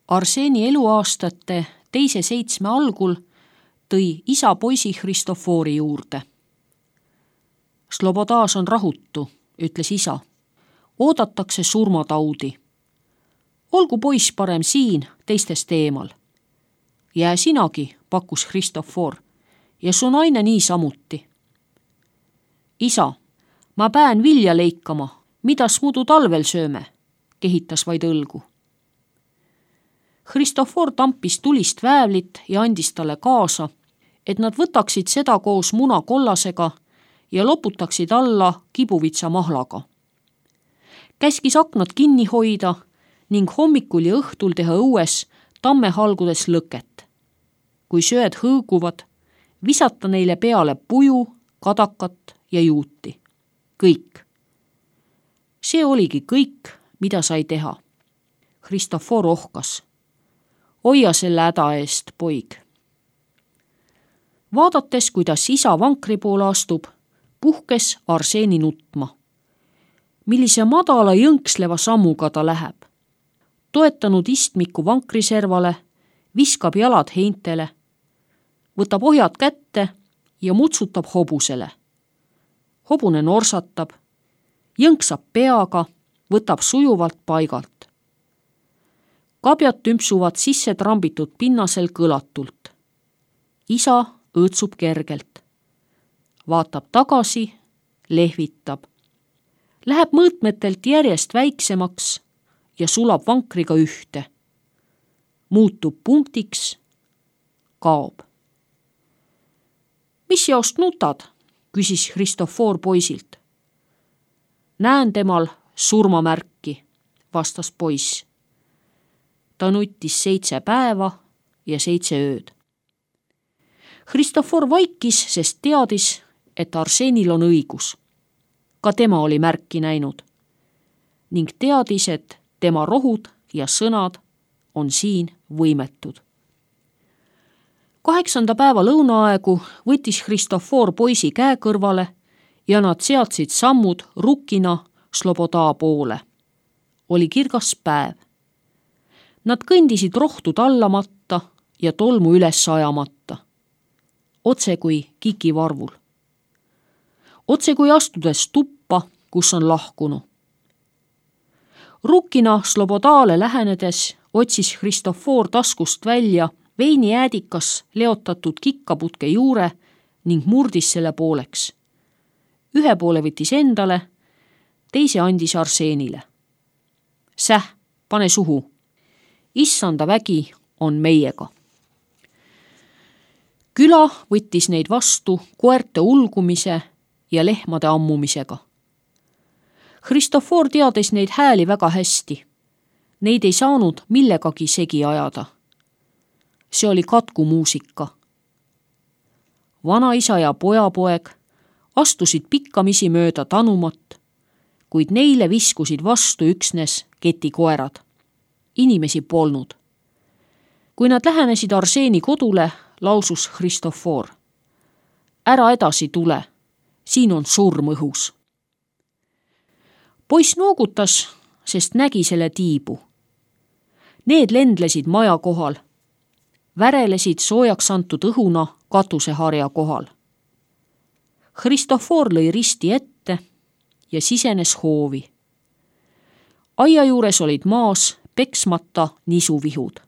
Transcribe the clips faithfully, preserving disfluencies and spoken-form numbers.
Arseni eluaastate teise seitsme algul tõi isa poisi Hristofori juurde. Slobodas on rahutu, ütles isa. Oodatakse surmataudi. Olgu poiss parem siin, teistest eemal. Jää sinagi, pakkus Hristofor, ja su naine nii samuti. Isa, ma pään vilja leikama, midas muidu talvel sööme, kehitas vaid õlgu. Hristofor tampis tulist väävlit ja andis talle kaasa, et nad võtaksid seda koos muna kollasega ja loputaksid alla kibuvitsa mahlaga. Käskis aknad kinni hoida ning hommikul ja õhtul teha õues tammehalgudes lõket. Kui sööd hõõguvad, visata neile peale puju, kadakat ja juuti. Kõik. See oligi kõik, mida sai teha. Hristofor ohkas. Hoia selle häda eest, poig. Vaadates, kuidas isa vankri poole astub, puhkes Arseni nutma. Millise madala jõnksleva sammuga ta läheb. Toetanud istmiku vankriservale, viskab jalad heintele, võtab ohjad kätte ja mutsutab hobusele. Hobune norsatab, jõnksab peaga, võtab sujuvalt paigalt. Kabjad tümpsuvad sisse trambitud pinnasel kõlatult. Isa õõtsub kergelt. Vaatab tagasi, lehvitab. Läheb mõõtmetelt järjest väiksemaks ja sulab vankriga ühte. Muutub punktiks, kaob. Mis jaost nutad, küsis Hristofor poisilt. Näen temal surmamärki, vastas poiss. Ta nuttis seitse päeva ja seitse ööd. Hristofor vaikis, sest teadis, et Arsenil on õigus. Ka tema oli märki näinud ning teadis, et tema rohud ja sõnad on siin võimetud. Kaheksanda päeva lõunaaegu võttis Hristofor poisi käe kõrvale ja nad seadsid sammud rukkina Sloboda poole. Oli kirgas päev. Nad kõndisid rohtu tallamata ja tolmu üles ajamata. Otse kui kikivarvul. Otse kui astudes tuppa, kus on lahkunu. Rukkina Slobodale lähenedes otsis Hristofor taskust välja veinijäädikas leotatud kikkaputke juure ning murdis selle pooleks. Ühe poole võttis endale, teise andis Arsenile. Säh, pane suhu. Issanda vägi on meiega. Küla võttis neid vastu koerte ulgumise ja lehmade ammumisega. Hristofor teadis neid hääli väga hästi. Neid ei saanud millegagi segi ajada. See oli katkumuusika. Vanaisa ja pojapoeg astusid pikkamisi mööda tanumat, kuid neile viskusid vastu üksnes ketikoerad. Inimesi polnud. Kui nad lähenesid Arseni kodule, lausus Hristofor. Ära edasi tule, siin on surm õhus. Poiss noogutas, sest nägi selle tiibu. Need lendlesid maja kohal. Värelesid soojaks antud õhuna katuseharja kohal. Hristofor lõi risti ette ja sisenes hoovi. Aia juures olid maas peksmata nisuvihud.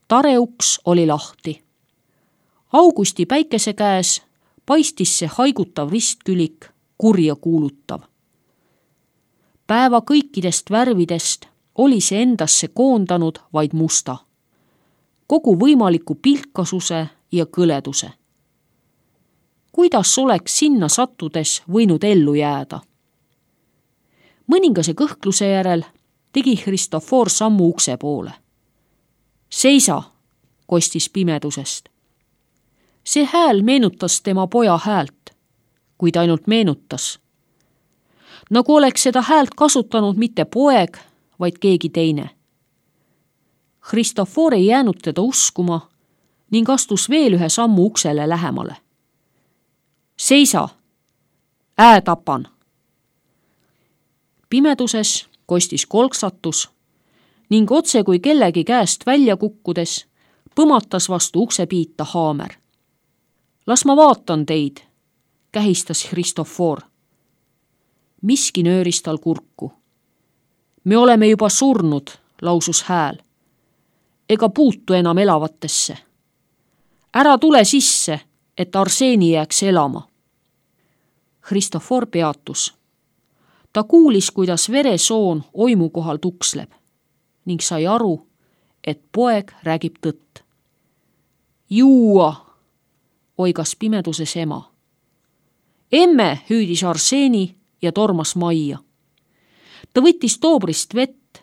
Tareuks oli lahti. Augusti päikese käes paistis see haigutav ristkülik, kurja kuulutav. Päeva kõikidest värvidest oli see endasse koondanud vaid musta. Kogu võimaliku pilkasuse ja kõleduse. Kuidas oleks sinna sattudes võinud ellu jääda? Mõningase kõhkluse järel tegi Hristofor sammu ukse poole. Seisa, kostis pimedusest. See hääl meenutas tema poja häält, kuid ainult meenutas. Nagu oleks seda häält kasutanud mitte poeg, vaid keegi teine. Hristofor ei jäänud teda uskuma ning astus veel ühe sammu uksele lähemale. Seisa, ää tapan. Pimeduses kostis kolksatus ning otse kui kellegi käest välja kukkudes põmatas vastu uksepiita haamer. Las ma vaatan teid, kähistas Christofor. Miski nööris tal kurku. Me oleme juba surnud, lausus hääl. Ega puutu enam elavatesse. Ära tule sisse, et Arseeni jääks elama. Christofor peatus. Ta kuulis, kuidas veresoon oimu kohal tuksleb ning sai aru, et poeg räägib tõtt. Juua, oigas pimeduses ema. Emme, hüüdis Arseeni ja tormas majja. Ta võttis toobrist vett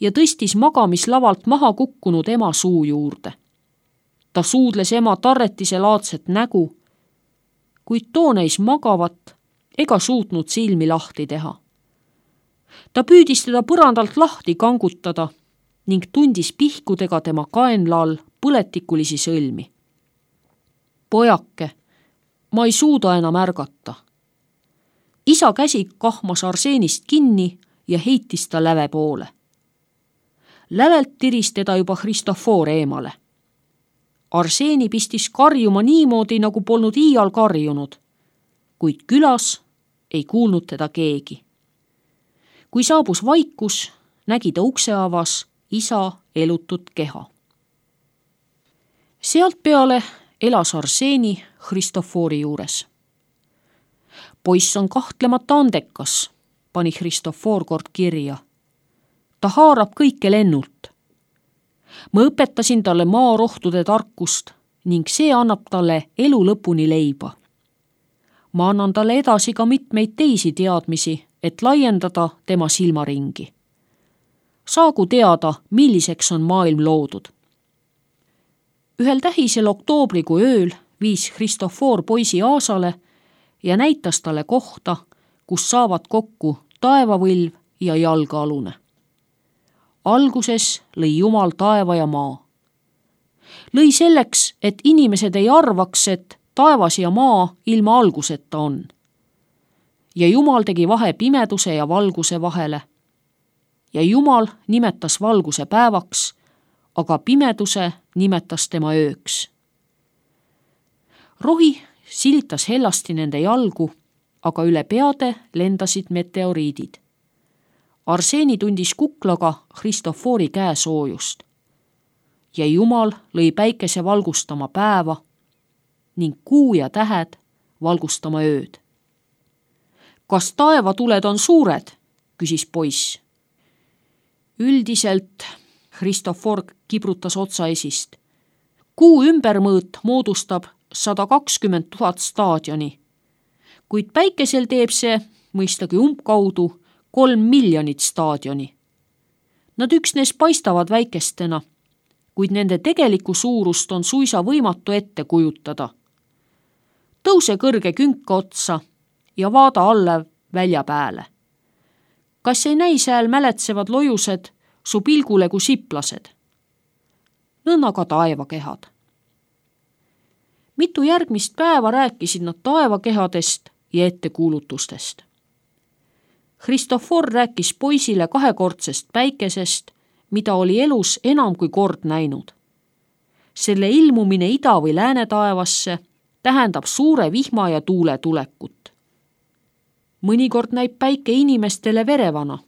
ja tõstis magamislavalt maha kukkunud ema suu juurde. Ta suudles ema tarretise laadset nägu, kuid too näis magavat ega suutnud silmi lahti teha. Ta püüdis teda põrandalt lahti kangutada ning tundis pihkudega tema kaenla all põletikulisi sõlmi. Pojake, ma ei suuda enam ärgata. Isa käsi kahmas Arseenist kinni ja heitis ta läve poole. Lävelt tiris teda juba Christofor eemale. Arseeni pistis karjuma niimoodi, nagu polnud iial karjunud, kuid külas ei kuulnud teda keegi. Kui saabus vaikus, nägi ta ukse avas isa elutut keha. Sealt peale elas Arseeni Christofori juures. Poiss on kahtlemata andekas, pani Christofor kord kirja. Ta haarab kõike lennult. Ma õpetasin talle maarohtude tarkust ning see annab talle elu lõpuni leiba. Ma annan talle edasi ka mitmeid teisi teadmisi, et laiendada tema silmaringi. Saagu teada, milliseks on maailm loodud. Ühel tähisel oktoobrikuu ööl viis Christofor poisi aasale ja näitas talle kohta, kus saavad kokku taevavõlv ja jalgealune. Alguses lõi Jumal taeva ja maa. Lõi selleks, et inimesed ei arvaks, et taevas ja maa ilma alguseta on. Ja Jumal tegi vahe pimeduse ja valguse vahele. Ja Jumal nimetas valguse päevaks, aga pimeduse nimetas tema ööks. Rohi silitas hellasti nende jalgu, aga üle peade lendasid meteoriidid. Arseeni tundis kuklaga Christofori käe soojust. Ja Jumal lõi päikese valgustama päeva ning kuu ja tähed valgustama ööd. Kas taevatuled on suured? Küsis poiss. Üldiselt Christofor kibrutas otsa esist. Kuu ümbermõõt moodustab sada kakskümmend tuhat staadioni, kuid päikesel teeb see, mõistagi umbkaudu, kolm miljonit staadioni. Nad üksnes paistavad väikestena, kuid nende tegelikku suurust on suisa võimatu ette kujutada. Tõuse kõrge künka otsa ja vaada alla välja pääle. Kas ei näi sääl mäletsevad lojused su pilgule kui siplased? Nõnna ka taevakehad. Mitu järgmist päeva rääkisid nad taevakehadest ja ettekuulutustest. Christofor rääkis poisile kahekordsest päikesest, mida oli elus enam kui kord näinud. Selle ilmumine ida- või lääne taevasse tähendab suure vihma ja tuule tulekut. Mõnikord näib päike inimestele verevana,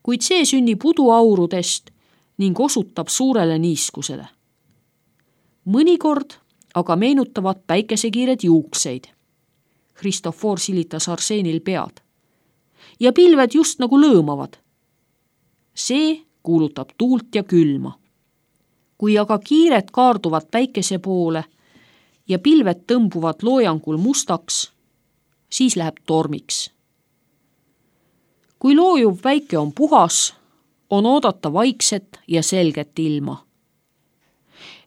kuid see sünnib uduaurudest ning osutab suurele niiskusele. Mõnikord aga meenutavad päikesekiired juukseid. Christofor silitas Arseenil pead. Ja pilved just nagu lõõmavad. See kuulutab tuult ja külma. Kui aga kiired kaarduvad päikese poole ja pilved tõmbuvad loojangul mustaks, siis läheb tormiks. Kui loojuv päike on puhas, on oodata vaikset ja selget ilma.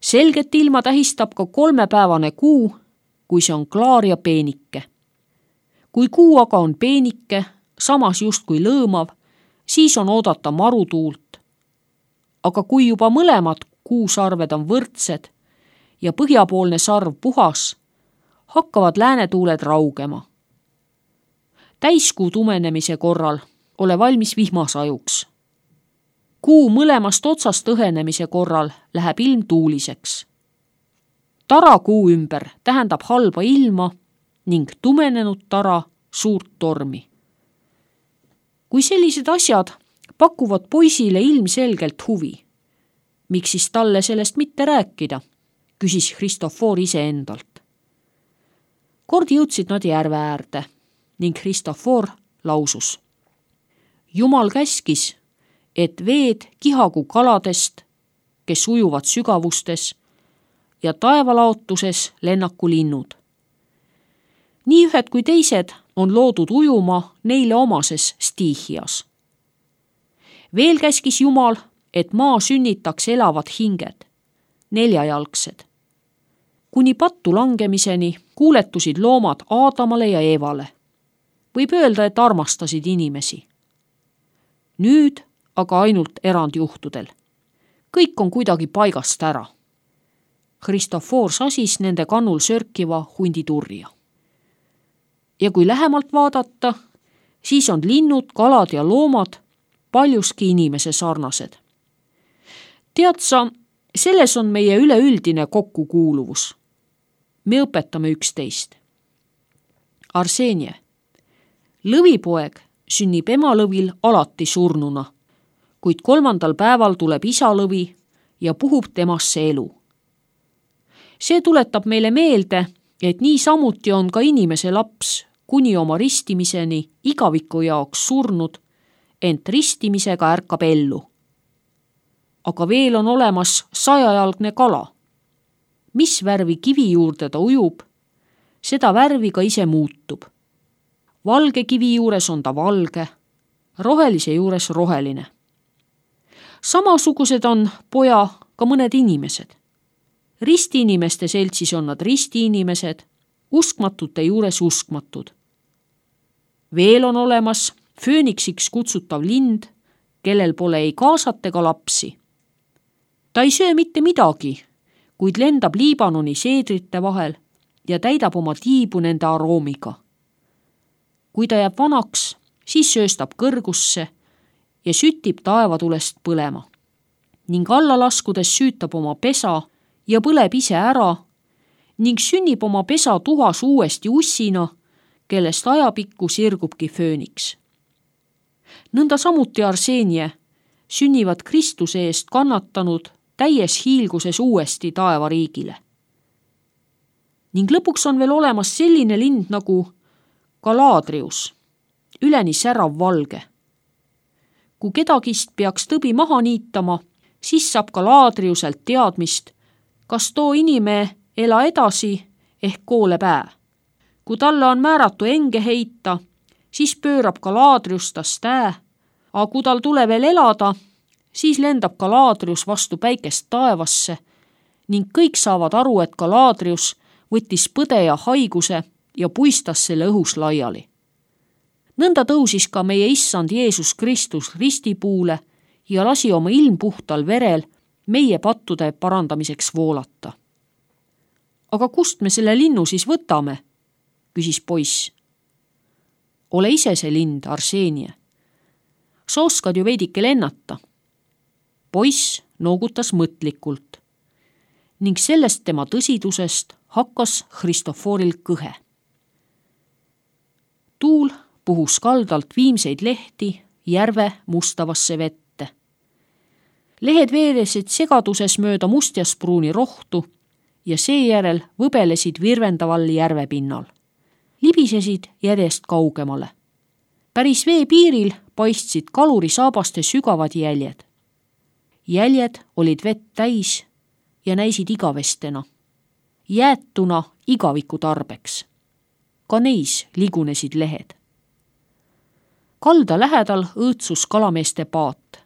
Selget ilma tähistab ka kolmepäevane kuu, kui see on klaar ja peenike. Kui kuu aga on peenike, samas justkui lõõmav, siis on oodata marutuult. Aga kui juba mõlemad kuusarved on võrdsed ja põhjapoolne sarv puhas, hakkavad läänetuuled raugema. Täiskuu tumenemise korral ole valmis vihmasajuks. Kuu mõlemast otsast õhenemise korral läheb ilm tuuliseks. Tara kuu ümber tähendab halba ilma ning tumenenud tara suurt tormi. Kui sellised asjad pakuvad poisile ilmselgelt huvi, miks siis talle sellest mitte rääkida, küsis Kristofor iseendalt. Kord jõudsid nad järve äärde ning Kristofor lausus. Jumal käskis, et veed kihagu kaladest, kes ujuvad sügavustes, ja taevalaotuses lennaku linnud. Nii ühed kui teised on loodud ujuma neile omases stiihias. Veel käskis Jumal, et maa sünnitaks elavad hinged, neljajalgsed. Kuni pattu langemiseni kuuletusid loomad Aadamale ja Eevale. Võib öelda, et armastasid inimesi. Nüüd aga ainult erandjuhtudel. Kõik on kuidagi paigast ära. Kristofor sasis nende kannul sörkiva hunditurja. Ja kui lähemalt vaadata, siis on linnud, kalad ja loomad paljuski inimese sarnased. Tead sa, selles on meie üleüldine kokkukuuluvus. Me õpetame üksteist. Arsenie, lõvipoeg sünnib emalõvil alati surnuna, kuid kolmandal päeval tuleb isalõvi ja puhub temasse elu. See tuletab meile meelde, et nii samuti on ka inimese laps kuni oma ristimiseni igaviku jaoks surnud, ent ristimisega ärkab ellu. Aga veel on olemas sajajalgne kala. Mis värvi kivi juurde ta ujub, seda värvi ka ise muutub. Valge kivi juures on ta valge, rohelise juures roheline. Samasugused on poja ka mõned inimesed. Ristiinimeste seltsis on nad ristiinimesed, uskmatute juures uskmatud. Veel on olemas fööniksiks kutsutav lind, kellel pole ei kaasat ega lapsi. Ta ei söö mitte midagi, kuid lendab Liibanoni seedrite vahel ja täidab oma tiibu nende aroomiga. Kui ta jääb vanaks, siis sööstab kõrgusse ja sütib taevatulest põlema. Ning alla laskudes süütab oma pesa ja põleb ise ära ning sünnib oma pesa tuhas uuesti ussina, kellest ajapikku sirgubki fööniks. Nõnda samuti Arsenie sünnivad Kristuse eest kannatanud täies hiilguses uuesti taevariigile. Ning lõpuks on veel olemas selline lind nagu Galadrius, üleni särav valge. Kui kedagist peaks tõbi maha niitama, siis saab Galadriuselt teadmist, kas too inime ela edasi ehk koole pää. Kui talle on määratu enge heita, siis pöörab Galadrius tast ää, aga kui tal tule veel elada, siis lendab Galadrius vastu päikest taevasse ning kõik saavad aru, et Galadrius võttis põde ja haiguse ja puistas selle õhus laiali. Nõnda tõusis ka meie issand Jeesus Kristus ristipuule ja lasi oma ilmpuhtal verel meie pattude parandamiseks voolata. Aga kust me selle linnu siis võtame? Küsis poiss. Ole ise see lind, Arsenie. Sa oskad ju veidike lennata. Poiss noogutas mõtlikult ning sellest tema tõsidusest hakkas Kristoforil kõhe. Tuul puhus kaldalt viimseid lehti järve mustavasse vette. Lehed veeresid segaduses mööda mustjaspruuni rohtu ja seejärel võbelesid virvendaval järvepinnal. Libisesid järjest kaugemale. Päris vee piiril paistsid kaluri saabaste sügavad jäljed. Jäljed olid vett täis ja näisid igavestena, jäetuna igaviku tarbeks. Ka neis ligunesid lehed. Kalda lähedal õõtsus kalameeste paat.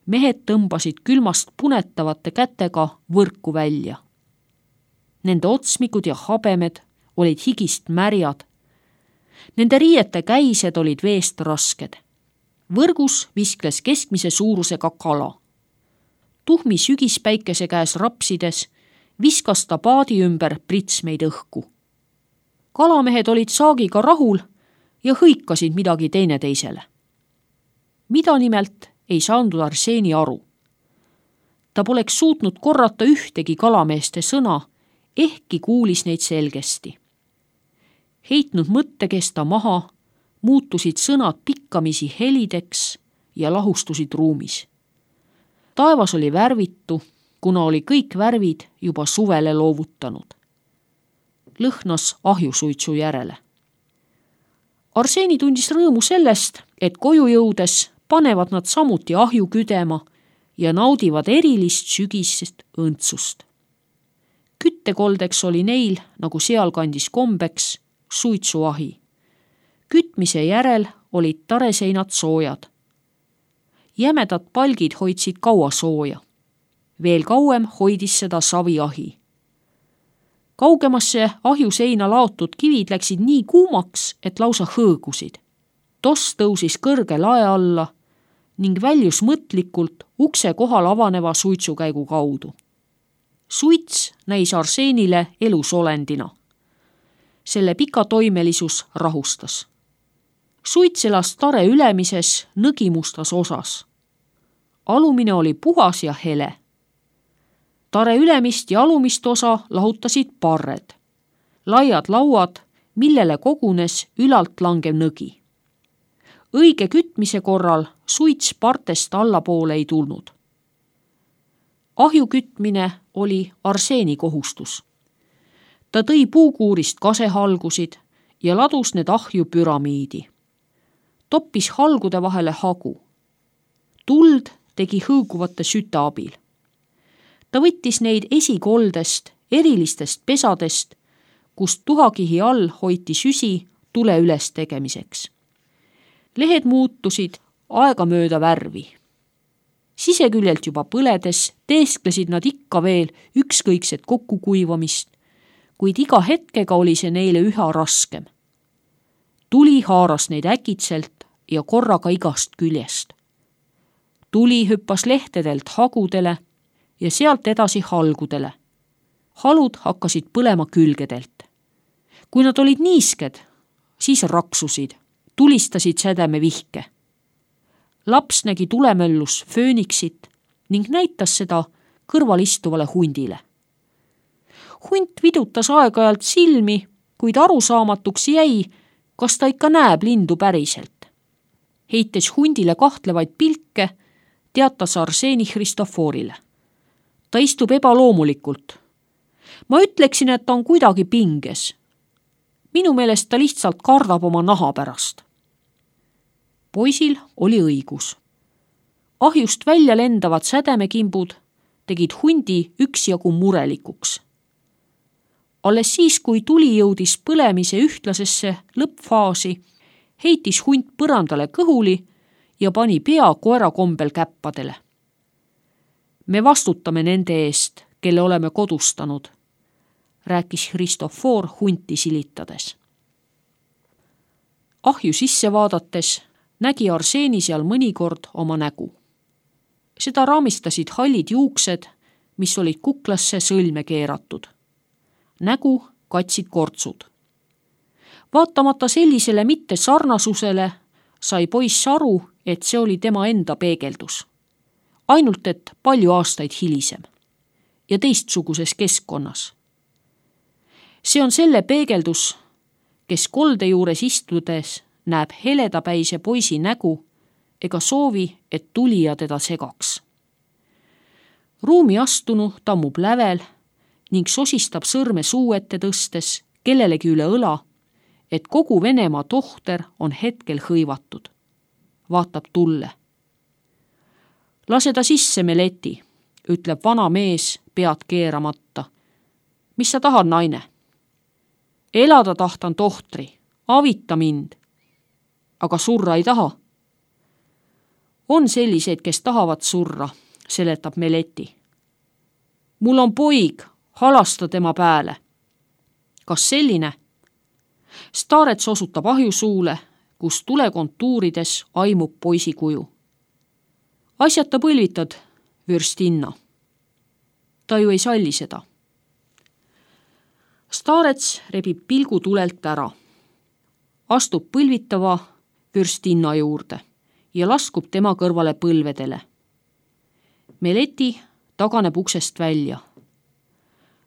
Mehed tõmbasid külmast punetavate kätega võrku välja. Nende otsmikud ja habemed olid higist märjad. Nende riiete käised olid veest rasked. Võrgus viskles keskmise suurusega kala. Tuhmi sügispäikese käes rapsides viskas ta paadi ümber pritsmeid õhku. Kalamehed olid saagiga rahul ja hõikasid midagi teineteisele. Mida nimelt ei saanud Arseni aru. Ta poleks suutnud korrata ühtegi kalameeste sõna, ehkki kuulis neid selgesti. Heitnud mõttekesta maha, muutusid sõnad pikkamisi helideks ja lahustusid ruumis. Taevas oli värvitu, kuna oli kõik värvid juba suvele loovutanud. Lõhnas ahjusuitsu järele. Arseni tundis rõõmu sellest, et koju jõudes panevad nad samuti ahju küdema ja naudivad erilist sügisest õndsust. Küttekoldeks oli neil, nagu sealkandis kombeks, suitsuahi. Kütmise järel olid tareseinad soojad. Jämedad palgid hoidsid kaua sooja. Veel kauem hoidis seda saviahi. Kaugemasse ahjuseina laotud kivid läksid nii kuumaks, et lausa hõõgusid. Toss tõusis kõrge lae alla ning väljus mõtlikult ukse kohal avaneva suitsukäigu kaudu. Suits näis Arsenile elusolendina. Selle pikatoimelisus rahustas. Suits elas tare ülemises nõgimustas osas. Alumine oli puhas ja hele. Tare ülemist ja alumist osa lahutasid parred. Laiad lauad, millele kogunes ülalt langev nõgi. Õige kütmise korral suits partest allapoole ei tulnud. Ahju kütmine oli Arseni kohustus. Ta tõi puukuurist kasehalgusid ja ladus need ahju püramiidi. Toppis halgude vahele hagu. Tuld tegi hõõguvate süte abil. Ta võttis neid esikoldest, erilistest pesadest, kust tuhakihi all hoiti süsi tule üles tegemiseks. Lehed muutusid aegamööda värvi. Siseküljelt juba põledes teesklesid nad ikka veel ükskõikset kokkukuivamist, kuid iga hetkega oli see neile üha raskem. Tuli haaras neid äkitselt ja korraga igast küljest. Tuli hüppas lehtedelt hagudele ja sealt edasi halgudele. Halud hakkasid põlema külgedelt. Kui nad olid niisked, siis raksusid, tulistasid sädeme vihke. Laps nägi tulemöllus fööniksit ning näitas seda kõrval istuvale hundile. Hunt vidutas aeg-ajalt silmi, kuid arusaamatuks jäi, kas ta ikka näeb lindu päriselt. Heites hundile kahtlevaid pilke, teatas Arseni Hristoforile. Ta istub ebaloomulikult. Ma ütleksin, et ta on kuidagi pinges. Minu meelest ta lihtsalt kardab oma naha pärast. Poisil oli õigus. Ahjust välja lendavad sädemekimbud tegid hundi üksjagu murelikuks. Alles siis, kui tuli jõudis põlemise ühtlasesse lõppfaasi, heitis hunt põrandale kõhuli ja pani pea koera kombel käppadele. Me vastutame nende eest, kelle oleme kodustanud, rääkis Hristofor hunti silitades. Ahju sisse vaadates nägi Arseni seal mõnikord oma nägu. Seda raamistasid hallid juuksed, mis olid kuklasse sõlme keeratud. Nägu katsid kortsud. Vaatamata sellisele mitte sarnasusele sai poiss aru, et see oli tema enda peegeldus. Ainult, et palju aastaid hilisem ja teistsuguses keskkonnas. See on selle peegeldus, kes kolde juures istudes näeb heledapäise poisi nägu ega soovi, et tulija teda segaks. Ruumi astunu tammub lävel ning sosistab sõrme suu ette tõstes kellelegi üle õla, et kogu Venemaa tohter on hetkel hõivatud. Vaatab tulle. Lase ta sisse, Meleti, ütleb vana mees pead keeramata. Mis sa tahad, naine? Elada tahtan, tohtri, avita mind. Aga surra ei taha. On selliseid, kes tahavad surra, seletab Meleti. Mul on poig, halasta tema pääle. Kas selline? Staarets osutab ahjusuule, kus tulekontuurides aimub poisi kuju. Asjata põlvitad, vürstinna. Ta ju ei salli seda. Staarets rebib pilgu tulelt ära. Astub põlvitava vürstinna juurde ja laskub tema kõrvale põlvedele. Meleti taganeb uksest välja.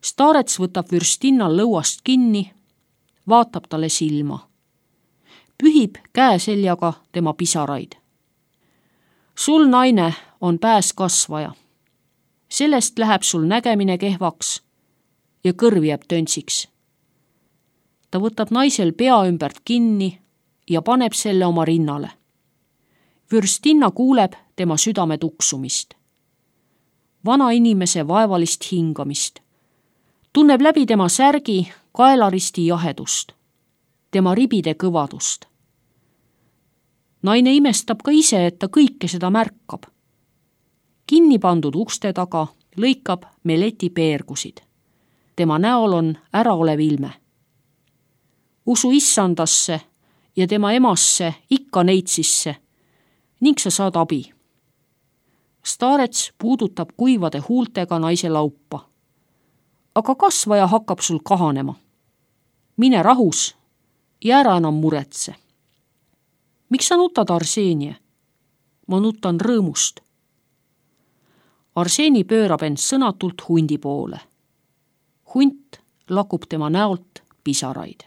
Starets võtab vürstinnal lõuast kinni, vaatab talle silma. Pühib käe seljaga tema pisaraid. Sul, naine, on pääs kasvaja. Sellest läheb sul nägemine kehvaks ja kõrv jääb töntsiks. Ta võtab naisel pea ümbert kinni ja paneb selle oma rinnale. Vürstinna kuuleb tema südame tuksumist. Vana inimese vaevalist hingamist. Tunneb läbi tema särgi kaelaristi jahedust. Tema ribide kõvadust. Naine imestab ka ise, et ta kõike seda märkab. Kinni pandud ukste taga lõikab Meleti peergusid. Tema näol on äraolev ilme. Usu issandasse ja tema emasse ikka neitsisse ning sa saad abi. Starets puudutab kuivade huultega naise laupa. Aga kasvaja hakkab sul kahanema. Mine rahus ja ära enam muretse. Miks sa nutad, Arseenie? Ma nutan rõõmust. Arseeni pöörab end sõnatult hundi poole. Hunt lakub tema näolt pisaraid.